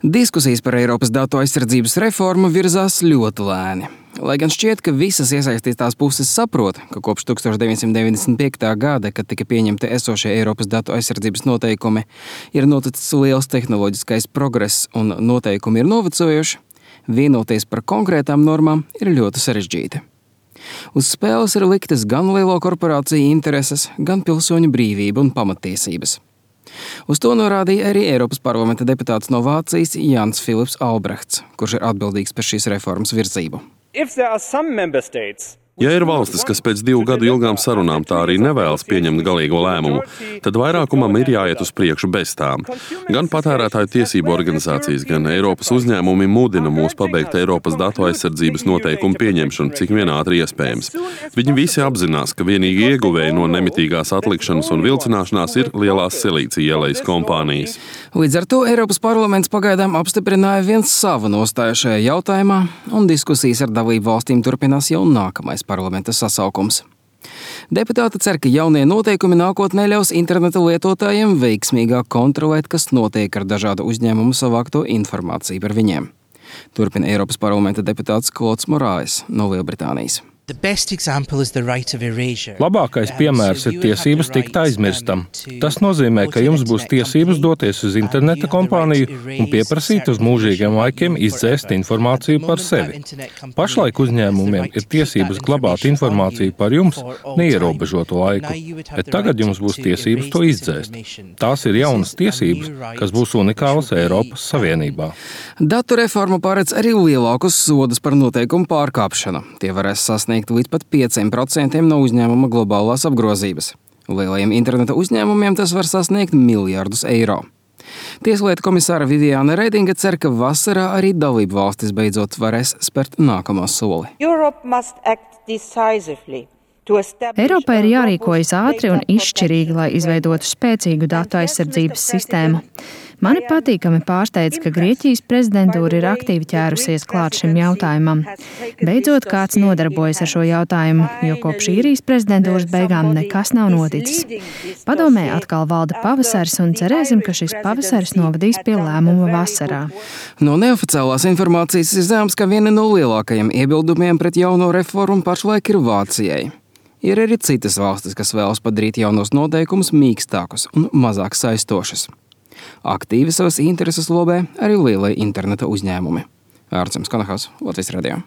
Diskusijas par Eiropas datu aizsardzības reformu virzās ļoti lēni. Lai gan šķiet, ka visas iesaistītās puses saprot, ka kopš 1995. gada, kad tika pieņemti esošie Eiropas datu aizsardzības noteikumi, ir noticis liels tehnoloģiskais progress un noteikumi ir novecojuši, vienoties par konkrētām normām ir ļoti sarežģīti. Uz spēles ir liktas gan lielo korporāciju intereses, gan pilsoņu brīvība un pamatiesības. Uz to norādīja arī Eiropas parlamenta deputāts no Vācijas Jans Filips Albrechts, kurš ir atbildīgs par šīs reformas virzību. Ja ir valstis, kas pēc 2 gadu ilgām sarunām tā arī nevēlas pieņemt galīgo lēmumu, tad vairākumam ir jāiet uz priekšu bez tām. Gan patērētāju tiesību organizācijas, gan Eiropas uzņēmumi mudina mūs pabeigt Eiropas datu aizsardzības noteikumu pieņemšanu, cik vien ātri iespējams. Viņi visi apzinās, ka vienīgi ieguvēji no nemitīgās atlikšanas un vilcināšanās ir lielās silīcija ielejas kompānijas. Līdz ar to Eiropas parlaments pagaidām apstiprināja viens savu nostāju šajā jautājumā, un diskusijas ar dalību valstīm turpinās jau nākamais parlamenta sasaukums. Deputāti cer, ka jaunie noteikumi nākotnē ļaus interneta lietotājiem veiksmīgāk kontrolēt, kas notiek ar dažādu uzņēmumu savākto informāciju par viņiem. Turpina Eiropas parlamenta deputāts Klods Morāes no Lielbritānijas. Labākais piemērs ir tiesības tikt aizmirstam. Tas nozīmē, ka jums būs tiesības doties uz interneta kompāniju un pieprasīt uz mūžīgiem laikiem izdzēst informāciju par sevi. Pašlaik uzņēmumiem ir tiesības glabāt informāciju par jums neierobežotu laiku, bet tagad jums būs tiesības to izdzēst. Tās ir jaunas tiesības, kas būs unikālas Eiropas Savienībā. Datu reforma paredz arī lielākus sodus par noteikumu pārkāpšanu. Tie varēs sasniegt līdz pat 5% no uzņēmuma globālās apgrozības. Lielajiem interneta uzņēmumiem tas var sasniegt miljardus eiro. Tieslietu komisāra Viviāne Redinga cer, ka vasarā arī dalību valstis beidzot varēs spērt nākamo soli. Eiropai ir jārīkojas ātri un izšķirīgi, lai izveidotu spēcīgu datu aizsardzības sistēmu. Mani patīkami pārsteidz, ka Grieķijas prezidentūra ir aktīvi ķērusies klāt šim jautājumam. Beidzot, kāds nodarbojas ar šo jautājumu, jo kopš īrijas prezidentūras beigām nekas nav noticis. Padomē atkal valda pavasaris un cerēsim, ka šis pavasaris novadīs pie lēmuma vasarā. No neoficiālās informācijas ir zināms, ka viena no lielākajiem iebildumiem pret jauno reformu pašlaik ir Vācijai. Ir arī citas valstis, kas vēlas padarīt jaunos noteikumus mīkstākus un mazāk saistošus. Aktīvi savas intereses lobē arī lielie interneta uzņēmumi. Ārcems Kanahaus, Latvijas radio.